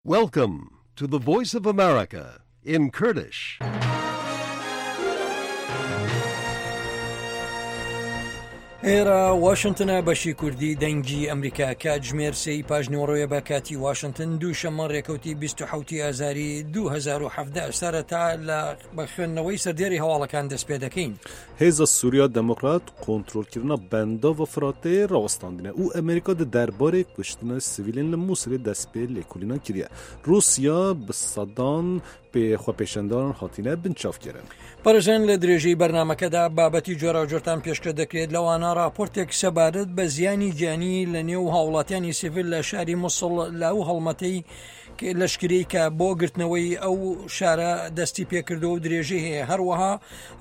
Welcome to the Voice of America in Kurdish. ئێرە واشنتنە بەشی کوردی دەنگی ئەمریکا کاتژمێر سێی پاژنیوەڕۆیە بە کاتی واشنتن دوو شەممە ڕێکەوتی 27 ئازاری 2017 سەرەتا لە بە خوێندنەوەی سەردێری هەواڵەکان دەست پێ دەکەین. Hêza Sûriya Demokrat kontrolkirina Bendava Firatê rawestandine û Amerîka di derbarê kuştina sivîlên li Mûsilê dest pê lêkolînan kiriye. Rûsya bi sedan pê xwepêşandaran hatine binçavkirin. بەڕێزان لە درێژەی بەرنامەکەدا بابەتی جۆراوجۆرتان پێشکەش دەکرێت لەوانە ڕاپۆرتێک سەبارەت بە زیانی گیانی لە نێو هاوڵاتیانی سیڤیل لە شاری موسڵ لە ئەو هەڵمەتەی لەشکری کە بۆ گرتنەوەی ئەو شارە دەستی پێکردەوە و درێژەی هەیە هەروەها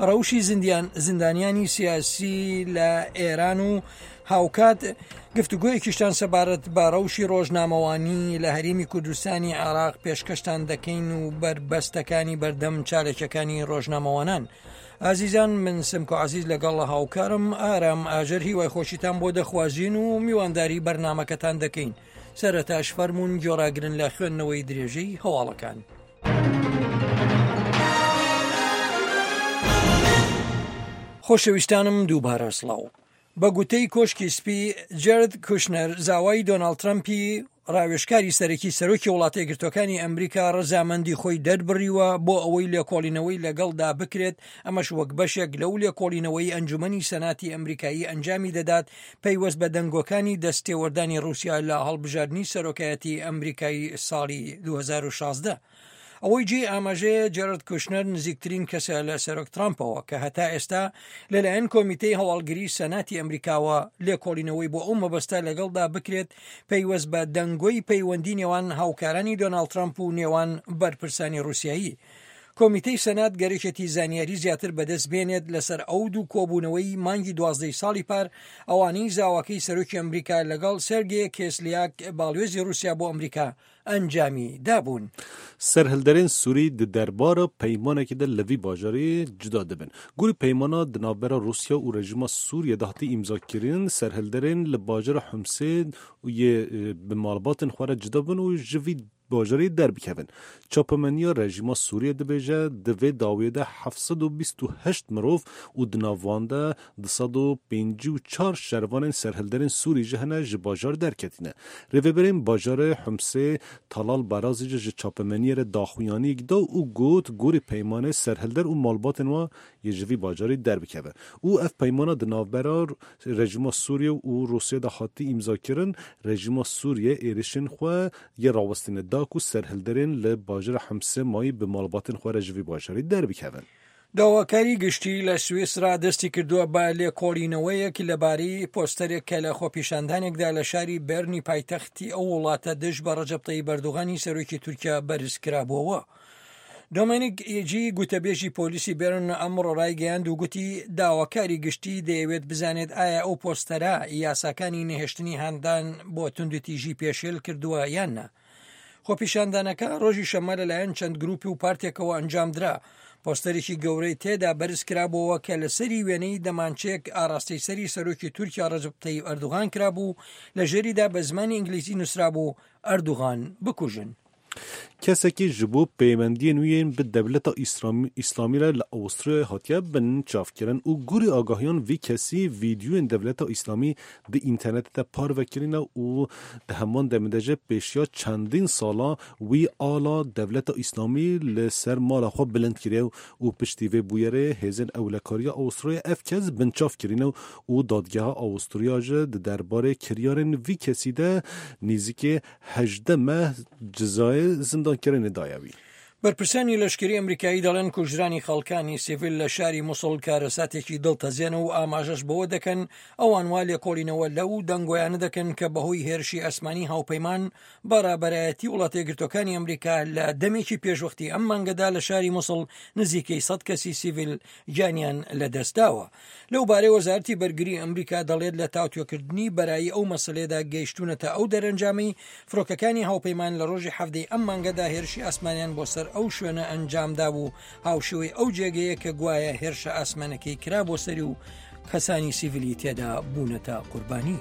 ڕەوشی زیندیان زیندانیانی سیاسی لە ئێران و هاوکات گفتوگۆیەکیشتان سەبارەت بە ڕەوشی ڕۆژنامەوانی لە هەرێمی کوردستانی عێراق پێشکەشتان دەکەین و بەربەستەکانی بەردەم چالەکیەکانی ڕۆژنامەوانان. ئازیزان من سمکۆ عزیز لەگەڵ هاوکارم ئارام ئاژەر هیوای خۆشیتان بۆ دەخوازین و میوانداری بەرنمەکەتان دەکەین. سەرەتاش فەرموون گوێڕاگرن لە خوێندنەوەی درێژەی هەواڵەکان. خۆشەویستانم دووبارە سڵاو. بە گوتەی کۆشکی سپی، جێرد کوشنەر، زاوای دۆناڵد ترەمپی ڕاوێژکاری سەرەکی سەرۆکی وڵاتە یەکگرتووەکانی ئەمریکا ڕەزامەندی خۆی دەربڕیوە بۆ ئەوەی لێکۆڵینەوەی لەگەڵدا بکرێت، ئەمەش وەک بەشێک لەو لێکۆڵینەوەی ئەنجومەنی سەناتی ئەمریکایی ئەنجامی دەدات پەیوەست بە دەنگۆکانی دەستتێوەردانی ڕووسیا لە هەڵبژاردنی سەرۆکایەتی ئەمریکای ساڵی 2016. ئەوەی جێی ئاماژەیە جێرارد کوشنەر نزیکترین کەسە لە سەرۆک ترامپەوە کە هەتا ئێستا لەلایەن کۆمیتەی هەواڵگری سەناتی ئەمریکاوە لێکۆڵینەوەی بۆ ئەو مەبەستە لەگەڵدا بکرێت پەیوەست بە دەنگۆی پەیوەندی نێوان هاوکارانی دۆناڵد ترامپ و نێوان بەرپرسانی ڕووسیایی. کۆمیتەی سەنات گەرەکێتی زانیاری زیاتر بەدەست بێنێت لەسەر ئەو دوو کۆبوونەوەی مانگی دوازدەی ساڵی پار ئەوانەی زاواکەی سەرۆکی ئەمریکا لەگەڵ سێرگێ کێسلیاک باڵوێزی ڕووسیا بۆ ئەمریکا ئەنجامی دابوون. Serhilderên Sûrî di derbara peymanekê de li vî bajarê cuda dibin. Gorî peymana di navbera Rûsya û rejîma Sûriyê de hatî îmzakirin, serhilderên li bajara Humsê yê bi malbatên xwe re cuda bin û ji vî bajarê derbikevin. Çapemeniya rejîma Sûriyê dibêje di vê dawiyê de 728 mirov û di nav wan de 254 şervanên serhilderên Sûrî jî hene ji bajar derketîne. Rêveberên bajarê Humsê Talal Berazî jî ji çapemeniyê re daxuyaniyek da û got gorî peymanê serhilder û malbatên wan yê ji vî bajarî derbikeve û ev peymana di navbera rejîma Sûriyê û Rûsyayê de hatî îmzakirin, rejîma Sûriyê êrişên xwe yê rawestîne da ku serhilderên li bajarê Humsê mayî bi malbatên xwe re ji vî bajarî derbikevin. داواکاری گشتی لە سویسرا دەستی کردووە بە لێکۆڵینەوەیەک لەبارەی پۆستەرێک کە لە خۆپیشاندانێکدا لە شاری بێرنی پایتەختی ئەو وڵاتە دژ بە ڕەجەب تەیب ئەردۆغانی سەرۆکی تورکیا بەرز کرابووەوە. دۆمێنیک ئیجی گوتەبێژی پۆلیسی بێرن ئەمڕۆ ڕایگەیاند و گوتی داواکاری گشتی دەیەوێت بزانێت ئایا ئەو پۆستەرە یاساکانی نەهێشتنی هاندان بۆ توندوتیژی پێشێل کردووە یان نا. خۆپیشاندانەکە ڕۆژی شەممە لەلایەن چەند گروپی و پارتێکەوە ئەنجامدرا. پۆستەرێکی گەورەی تێدا بەرزکرابۆوە کە لەسەری وێنەی دەمانچەیەک ئاراستەی سەری سەرۆکی تورکیا ڕەجەب تەیب ئەردوغان کرابوو، لە ژێریدا بە زمانی ئینگلیزی نووسرابوو ئەردوغان بکوژن. Kesekî ji bo peywendiyên wî yên bi Dewleta Îslamî re li Awisturyayê hatiye binçavkirin û gorî agahiyan vî kesî vîdyoyên Dewleta Îslamî di înternetê de parve kirine û di heman demê de jî pêşiya çendîn sala wî ala Dewleta Îslamî li ser mala xwe bilind kiriye û piştî vê bûyerê hêzên ewlekariya Awisturyayê ev kes binçav kirine û dadgeha Awisturya jî di derbarê kiryarên vî kesî de nêzîkê 18 meh cezayê zindankirinê daye wî. بەرپرسانی لەشکری ئەمریکایی دەڵێن کوژرانی خەڵکانی سیڤیل لە شاری موسڵ کارەساتێکی دڵتەزێنە و ئاماژەش بەوە دەکەن ئەوان وا لێکۆڵینەوە لەو دەنگۆیانە دەکەن کە بەهۆی هێرشی ئاسمانی هاوپەیمان بە ڕابەرایەتی وڵاتە یەکگرتووەکانی ئەمریکا لە دەمێکی پێشوەختی ئەم مانگەدا لە شاری موسڵ نزیکەی 100 کەسی سیڤیل گیانیان لەدەستداوە. لەو بارەی وەزارەتی بەرگری ئەمریکا دەڵێت لە تاوتوێکردنی بەرایی ئەو مەسەلەیەدا گەیشتوونەتە ئەو دەرەنجامەی فڕۆکەکانی هاوپەیمان لە ڕۆژی حەڤدەی ئەم مانگەدا هێرشی ئاسمانیان بۆ سەر ئەو شوێنە ئەنجامدابوو هاوشێوەی ئەو جێگەیە کە گوایە هێرشە ئاسمانەکەی کرا بۆ سەری و کەسانی سیڤیلی تێدا بوونەتە قوربانی.